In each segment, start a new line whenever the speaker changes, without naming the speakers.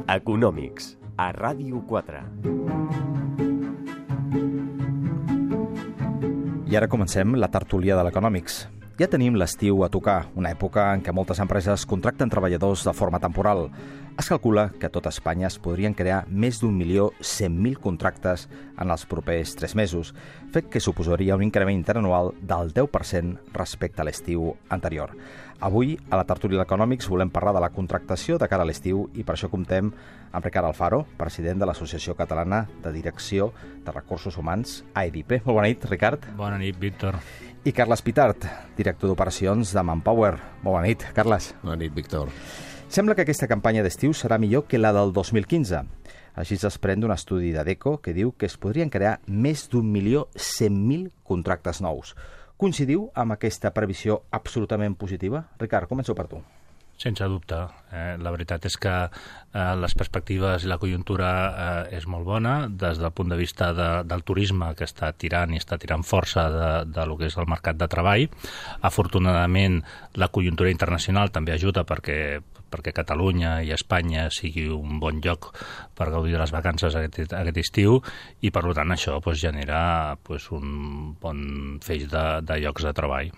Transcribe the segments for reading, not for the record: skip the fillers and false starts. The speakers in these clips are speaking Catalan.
Econòmics, a Ràdio 4.
I ara comencem la tertúlia de l'Econòmics. Ja tenim l'estiu a tocar, una època en què moltes empreses contracten treballadors de forma temporal. Es calcula que a tot Espanya es podrien crear més d'1.100.000 contractes en els propers 3 mesos, fet que suposaria un increment interanual del 10% respecte a l'estiu anterior. Avui, a la tertúlia d'Econòmics, volem parlar de la contractació de cara a l'estiu i per això comptem amb Ricard Alfaro, president de l'Associació Catalana de Direcció de Recursos Humans, AEDIPE. Molt bona nit, Ricard.
Bona nit, Víctor.
I Carles Pitart, director d'operacions de Manpower. Molt bona nit, Carles.
Bona nit, Víctor.
Sembla que aquesta campanya d'estiu serà millor que la del 2015. Així es desprèn d'un estudi d'ADECO que diu que es podrien crear més d'1.100.000 contractes nous. Coincidiu amb aquesta previsió absolutament positiva? Ricard, començo per tu.
Sense dubte. La veritat és que les perspectives i la conjuntura és molt bona des del punt de vista del turisme, que està tirant i està tirant força de lo que és el mercat de treball. Afortunadament, la conjuntura internacional també ajuda perquè Catalunya i Espanya sigui un bon lloc per gaudir de les vacances aquest estiu i, per tant, això genera un bon feix de llocs de treball.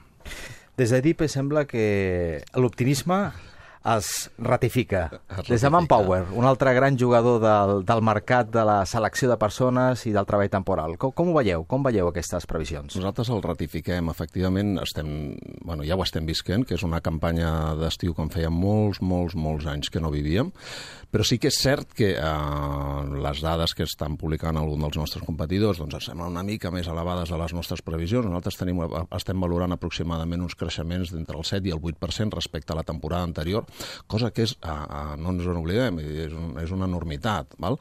Des d'AEDIPE sembla que l'optimisme es ratifica. Des de Manpower, un altre gran jugador del mercat de la selecció de persones i del treball temporal. Com ho veieu? Com veieu aquestes previsions?
Nosaltres el ratifiquem. Efectivament, ja ho estem visquent, que és una campanya d'estiu com feia molts anys que no vivíem, però sí que és cert que les dades que estan publicant algun dels nostres competidors ens semblen una mica més elevades a les nostres previsions. Nosaltres estem valorant aproximadament uns creixements d'entre el 7 i el 8% respecte a la temporada anterior, cosa que és, no ens en oblidem, és una enormitat. Val?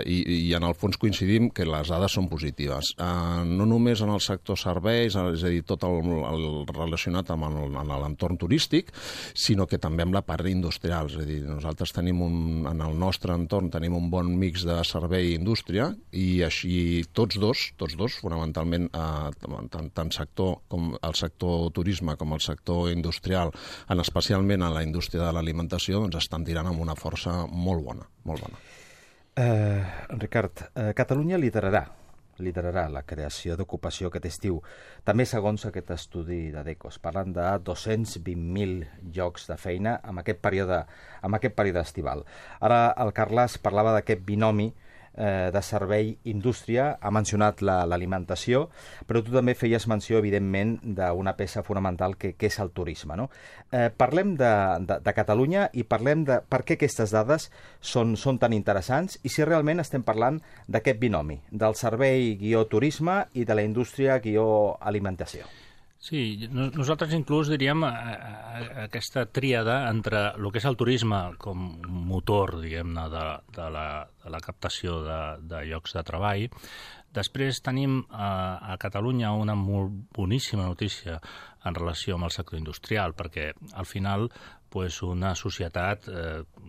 I en el fons coincidim que les dades són positives. No només en el sector serveis, és a dir, tot el relacionat amb l'entorn turístic, sinó que també amb la part industrial. És a dir, nosaltres tenim en el nostre entorn tenim un bon mix de servei i indústria i així tots dos, fonamentalment tant el sector turisme com el sector industrial, especialment en la indústria de l'alimentació, estan tirant amb una força molt bona.
Ricard, Catalunya liderarà la creació d'ocupació aquest estiu. També, segons aquest estudi d'ADECO, es parlen de 220.000 llocs de feina en aquest període estival. Ara el Carles parlava d'aquest binomi de servei-indústria, ha mencionat l'alimentació, però tu també feies menció, evidentment, d'una peça fonamental que és el turisme. No? Parlem de Catalunya i parlem de per què aquestes dades són tan interessants i si realment estem parlant d'aquest binomi, del servei-turisme i de la indústria-alimentació.
Sí, nosaltres inclús diríem aquesta tríada entre el que és el turisme com motor, diguem-ne, de la captació de llocs de treball. Després tenim a Catalunya una molt boníssima notícia en relació amb el sector industrial, perquè al final una societat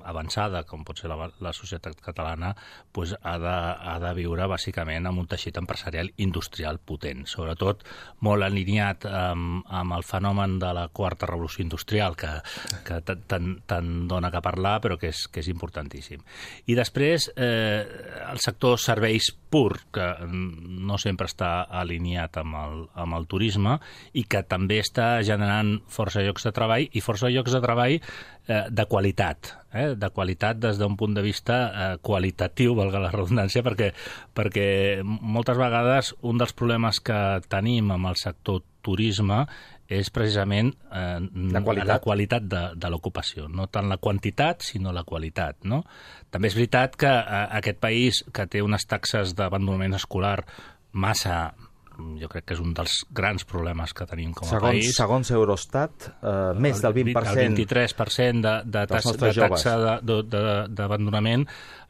avançada, com pot ser la societat catalana, ha de viure bàsicament amb un teixit empresarial industrial potent, sobretot molt alineat amb el fenomen de la quarta revolució industrial, que tant dona que parlar, però que és importantíssim. I després el sector serveis pur, que no sempre està alineat amb el turisme i que també està generant força llocs de treball i força llocs de treball de qualitat des d'un punt de vista qualitatiu, valga la redundància, perquè moltes vegades un dels problemes que tenim amb el sector turisme és precisament la qualitat de l'ocupació, no tant la quantitat, sinó la qualitat. No? També és veritat que aquest país, que té unes taxes d'abandonament escolar massa jo crec que és un dels grans problemes que tenim com a país.
Segons Eurostat, més del 20%...
El 23% de taxa d'abandonament,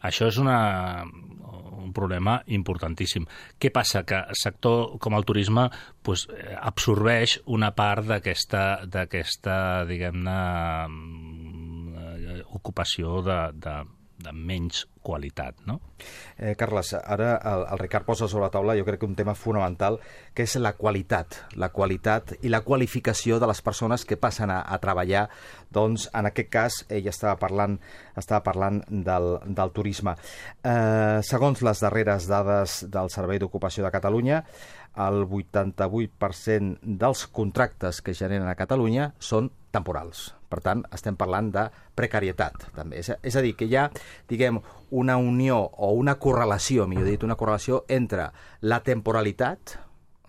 això és un problema importantíssim. Què passa? Que el sector com el turisme absorbeix una part d'aquesta diguem-ne, ocupació menys qualitat, no?
Carles, ara el Ricard posa sobre la taula, jo crec que un tema fonamental, que és la qualitat i la qualificació de les persones que passen a treballar. Doncs, en aquest cas, ell estava parlant del turisme. Segons les darreres dades del Servei d'Ocupació de Catalunya, el 88% dels contractes que generen a Catalunya són temporals. Per tant, estem parlant de precarietat, també. És a dir, que hi ha, diguem, una unió o una correlació, millor dit, una correlació entre la temporalitat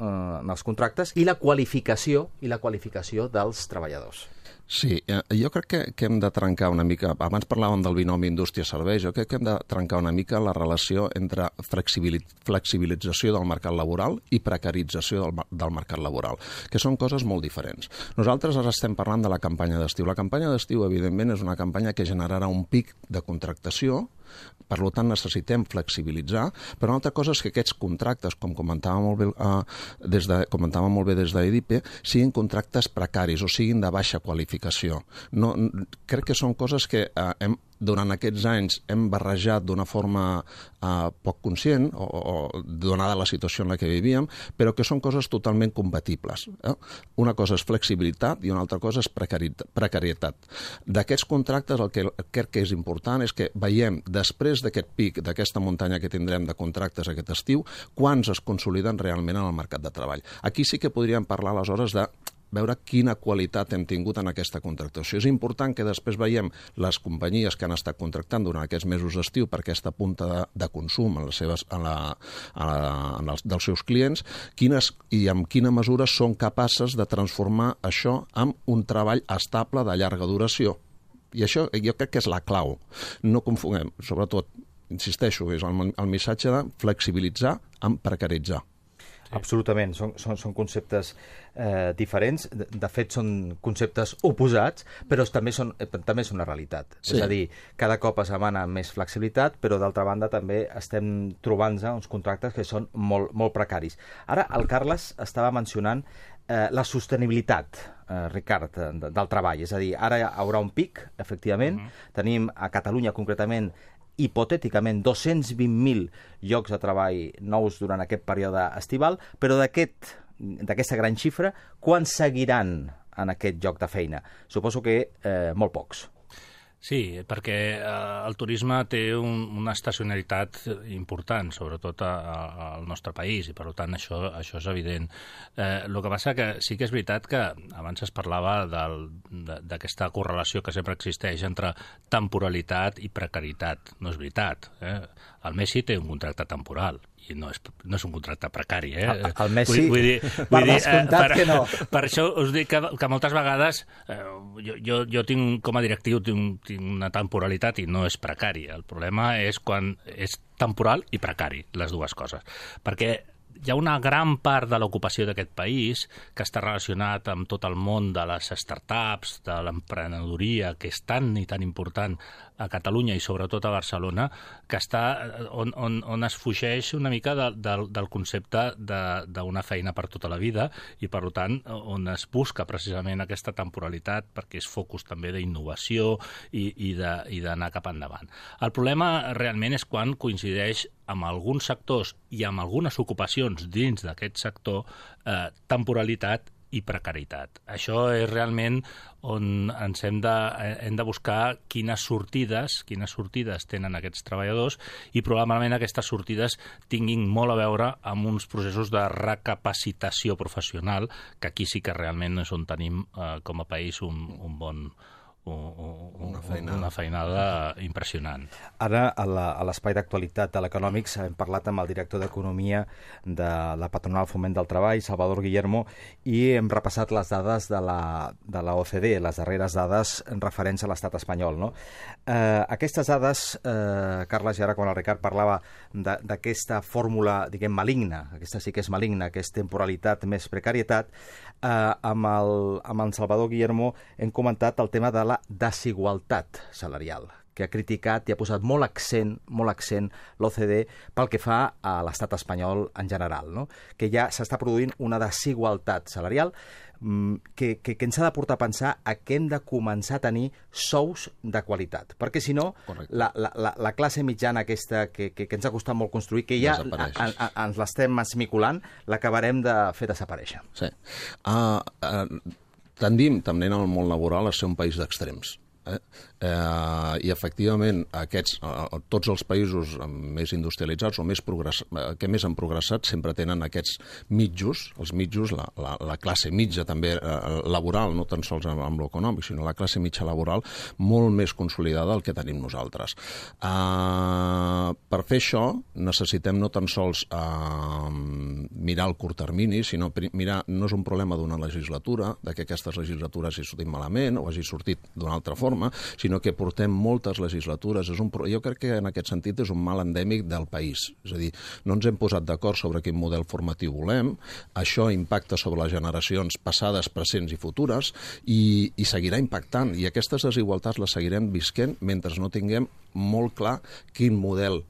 en els contractes i la qualificació dels treballadors.
Sí, jo crec que hem de trencar una mica, abans parlàvem del binomi indústria-serveis, jo crec que hem de trencar una mica la relació entre flexibilització del mercat laboral i precarització del mercat laboral, que són coses molt diferents. Nosaltres ara estem parlant de la campanya d'estiu. La campanya d'estiu, evidentment, és una campanya que generarà un pic de contractació, per tant necessitem flexibilitzar, però una altra cosa és que aquests contractes, com comentava molt bé des d'EDIPE, siguin contractes precaris o siguin de baixa qualificació. Crec que són coses que durant aquests anys hem barrejat d'una forma poc conscient, o donada la situació en la que vivíem, però que són coses totalment compatibles. Una cosa és flexibilitat i una altra cosa és precarietat. D'aquests contractes el que crec que és important és que veiem, després d'aquest pic, d'aquesta muntanya que tindrem de contractes aquest estiu, quants es consoliden realment en el mercat de treball. Aquí sí que podríem parlar aleshores de veure quina qualitat hem tingut en aquesta contractació. És important que després veiem les companyies que han estat contractant durant aquests mesos d'estiu per aquesta punta de consum dels seus clients, i en quina mesura són capaces de transformar això en un treball estable de llarga duració. I això jo crec que és la clau. No confonguem, sobretot, insisteixo, és el missatge de flexibilitzar amb precaritzar.
Absolutament, són conceptes diferents, de fet són conceptes oposats, però també són una realitat. Sí. És a dir, cada cop es demana més flexibilitat, però d'altra banda també estem trobant-nos uns contractes que són molt precaris. Ara, el Carles estava mencionant la sostenibilitat, Ricard, del treball. És a dir, ara hi haurà un pic, efectivament. Tenim a Catalunya concretament hipotèticament 220.000 llocs de treball nous durant aquest període estival, però d'aquesta gran xifra, quants seguiran en aquest lloc de feina? Suposo que molt pocs.
Sí, perquè el turisme té una estacionalitat important, sobretot al nostre país, i per tant això és evident. El que passa que sí que és veritat que abans es parlava d'aquesta correlació que sempre existeix entre temporalitat i precarietat. No és veritat. El Messi té un contracte temporal i no és un contracte precari.
El Messi,
per
descomptat que no.
Per això us dic que moltes vegades jo tinc, com a directiu, tinc una temporalitat i no és precari. El problema és quan és temporal i precari, les dues coses. Perquè hi ha una gran part de l'ocupació d'aquest país que està relacionat amb tot el món de les startups, de l'emprenedoria, que és tan i tan important a Catalunya i sobretot a Barcelona, que està on es fugeix una mica del concepte d'una feina per tota la vida i, per tant, on es busca precisament aquesta temporalitat perquè és focus també d'innovació i d'anar cap endavant. El problema realment és quan coincideix amb alguns sectors i amb algunes ocupacions dins d'aquest sector temporalitat i precarietat. Això és realment on ens hem de buscar quines sortides tenen aquests treballadors i probablement aquestes sortides tinguin molt a veure amb uns processos de recapacitació professional, que aquí sí que realment és on tenim com a país una feinada impressionant.
Ara, a l'espai d'actualitat de l'Econòmics, hem parlat amb el director d'Economia de la Patronal Foment del Treball, Salvador Guillermo, i hem repassat les dades de la OCDE, les darreres dades referents a l'estat espanyol. No? Aquestes dades, Carles, i ara quan el Ricard parlava d'aquesta fórmula, diguem, maligna, aquesta sí que és maligna, que és temporalitat més precarietat, amb el Salvador Guillermo hem comentat el tema de la desigualtat salarial, que ha criticat i ha posat molt accent l'OCDE pel que fa a l'estat espanyol en general, no? Que ja s'està produint una desigualtat salarial que ens ha de portar a pensar que hem de començar a tenir sous de qualitat, perquè si no la classe mitjana aquesta que ens ha costat molt construir, que ja ens l'estem esmiculant, l'acabarem de fer desaparèixer.
Sí. Tendim també en el món laboral a ser un país d'extrems. I efectivament tots els països més industrialitzats o que més han progressat sempre tenen aquests mitjos, els mitjos, la classe mitja també laboral, no tan sols amb l'econòmic, sinó la classe mitja laboral molt més consolidada del que tenim nosaltres. Per fer això necessitem no tan sols mirar el curt termini, sinó mirar, no és un problema d'una legislatura, que aquestes legislatures hagi sortit malament o hagi sortit d'una altra forma, sinó que portem moltes legislatures. Jo crec que en aquest sentit és un mal endèmic del país. És a dir, no ens hem posat d'acord sobre quin model formatiu volem, això impacta sobre les generacions passades, presents i futures, i seguirà impactant. I aquestes desigualtats les seguirem visquent mentre no tinguem molt clar quin model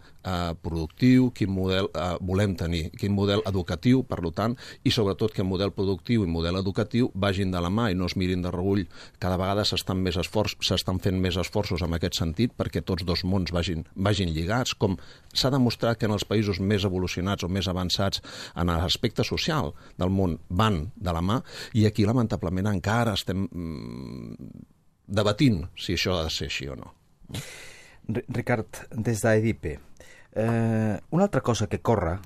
productiu, quin model volem tenir, quin model educatiu, per tant, i sobretot que model productiu i model educatiu vagin de la mà i no es mirin de reüll. Cada vegada s'estan fent més esforços en aquest sentit perquè tots dos mons vagin lligats, com s'ha demostrat que en els països més evolucionats o més avançats en l'aspecte social del món van de la mà, i aquí lamentablement encara estem debatint si això ha de ser així o no.
Ricard, des d'EDIPE, una altra cosa que corre,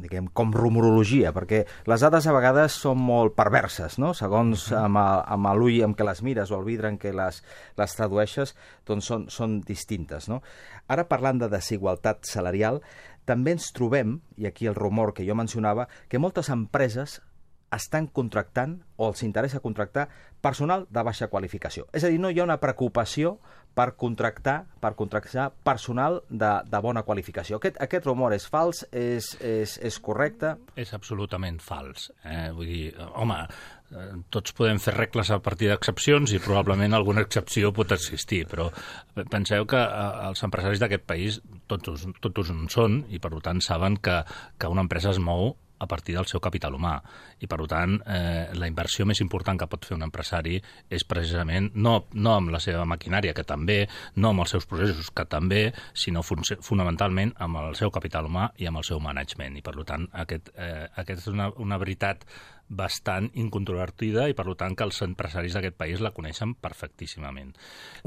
diguem, com rumorologia, perquè les dades a vegades són molt perverses, no? Segons amb l'ull amb què les mires o el vidre en què les tradueixes, doncs són distintes, no? Ara, parlant de desigualtat salarial, també ens trobem, i aquí el rumor que jo mencionava, que moltes empreses estan contractant o els interessa contractar personal de baixa qualificació. És a dir, no hi ha una preocupació per contractar personal de bona qualificació. Aquest rumor és fals? És correcte?
És absolutament fals. Vull dir, home, tots podem fer regles a partir d'excepcions i probablement alguna excepció pot existir, però penseu que els empresaris d'aquest país tots en són i per tant saben que una empresa es mou a partir del seu capital humà. I, per tant, la inversió més important que pot fer un empresari és precisament no amb la seva maquinària, que també, no amb els seus processos, que també, sinó fonamentalment amb el seu capital humà i amb el seu management. I, per tant, aquest és una veritat bastant incontrovertida i, per tant, que els empresaris d'aquest país la coneixen perfectíssimament.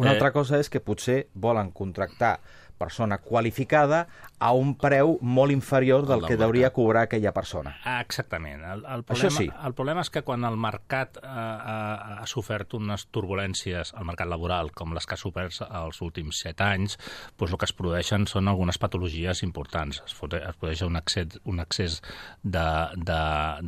Una altra cosa és que potser volen contractar persona qualificada a un preu molt inferior del que hauria cobrar aquella persona.
Exactament.
Això sí.
El problema és que quan el mercat ha sofert unes turbulències al mercat laboral, com les que ha sofert els últims 7 anys, doncs el que es produeixen són algunes patologies importants. Es produeix un excés de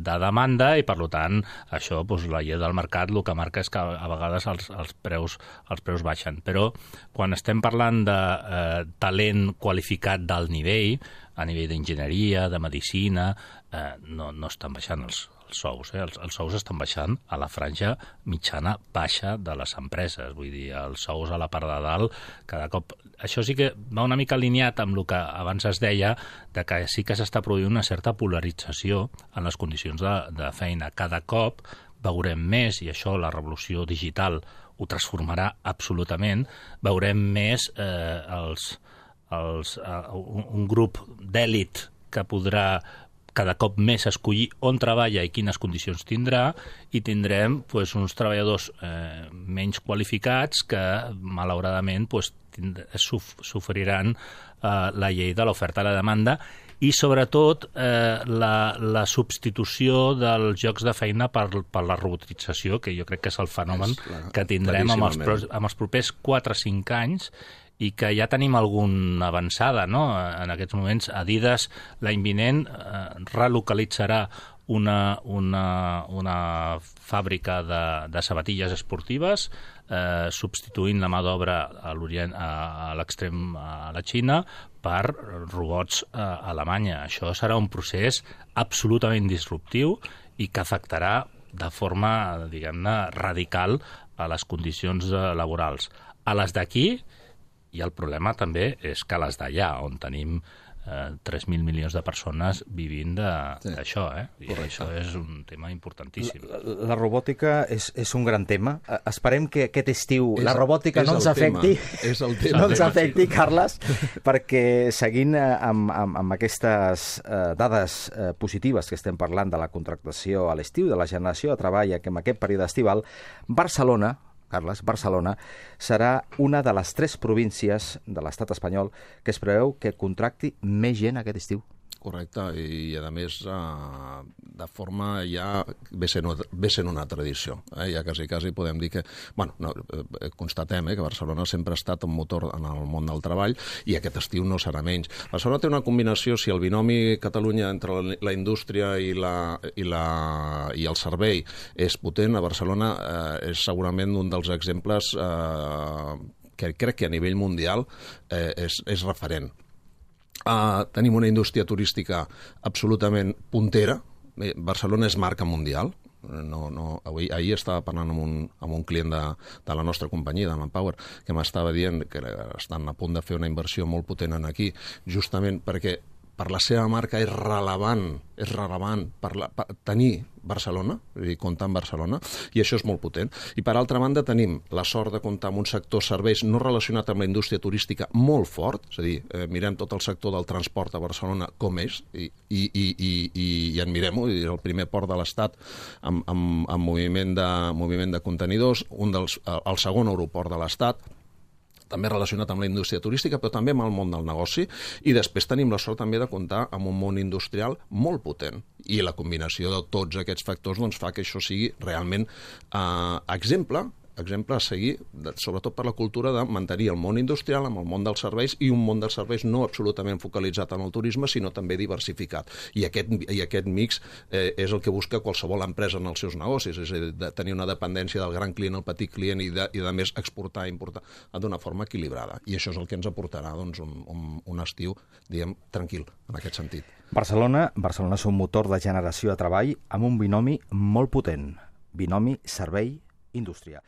demanda i, per tant, això, la llei del mercat, el que marca és que a vegades els preus baixen. Però quan estem parlant de talent qualificat d'alt nivell, a nivell d'enginyeria, de medicina, no estan baixant els sous. Els sous estan baixant a la franja mitjana baixa de les empreses. Vull dir, els sous a la part de dalt, cada cop... Això sí que va una mica alineat amb el que abans es deia, de que sí que s'està produint una certa polarització en les condicions de feina. Cada cop veurem més, i això la revolució digital ho transformarà absolutament, veurem més un grup d'èlit que podrà cada cop més escollir on treballa i quines condicions tindrà, i tindrem uns treballadors menys qualificats que, malauradament, sofriran la llei de l'oferta i la demanda i, sobretot, la substitució dels llocs de feina per la robotització, que jo crec que és el fenomen que tindrem amb els propers 4 o 5 anys, i que ja tenim alguna avançada, no? En aquests moments, Adidas, l'any vinent, relocalitzarà una fàbrica de sabatilles esportives, substituint la mà d'obra a l'extrem a la Xina per robots a Alemanya. Això serà un procés absolutament disruptiu i que afectarà de forma, diguem-ne, radical a les condicions laborals. A les d'aquí, i el problema també és que les d'allà, on tenim 3.000 milions de persones vivint d'això, I això és un tema importantíssim.
La robòtica és un gran tema. Esperem que aquest estiu la robòtica no ens afecti.
És el tema.
No ens afecti, Carles, perquè seguint amb aquestes dades positives que estem parlant de la contractació a l'estiu, de la generació de treball en aquest període estival, Barcelona, Carles, Barcelona, serà una de les 3 províncies de l'estat espanyol que es preveu que contracti més gent aquest estiu.
Correcte, i a més de forma ja ve sent una tradició. Ja quasi podem dir que, constatem que Barcelona sempre ha estat un motor en el món del treball i aquest estiu no serà menys. Barcelona té una combinació, si el binomi Catalunya entre la indústria i el servei és potent, a Barcelona és segurament un dels exemples que crec que a nivell mundial és referent. Tenim una indústria turística absolutament puntera. Barcelona és marca mundial. Ahir estava parlant amb un client de la nostra companyia, de Manpower, que m'estava dient que estan a punt de fer una inversió molt potent aquí, justament perquè per la seva marca és rellevant per tenir Barcelona, és a dir, comptar amb Barcelona, i això és molt potent. I per altra banda tenim la sort de comptar amb un sector serveis no relacionat amb la indústria turística molt fort, és a dir, mirem tot el sector del transport a Barcelona com és, i admirem-ho, és el primer port de l'Estat amb moviment de contenidors, el segon aeroport de l'Estat, també relacionat amb la indústria turística, però també amb el món del negoci, i després tenim la sort també de comptar amb un món industrial molt potent. I la combinació de tots aquests factors fa que això sigui realment exemple a seguir, sobretot per la cultura de mantenir el món industrial amb el món dels serveis, i un món dels serveis no absolutament focalitzat en el turisme, sinó també diversificat. I aquest mix és el que busca qualsevol empresa en els seus negocis, és a dir, de tenir una dependència del gran client al petit client i de més exportar i importar d'una forma equilibrada. I això és el que ens aportarà un estiu, diguem, tranquil, en aquest sentit.
Barcelona és un motor de generació de treball amb un binomi molt potent. Binomi servei-indústria.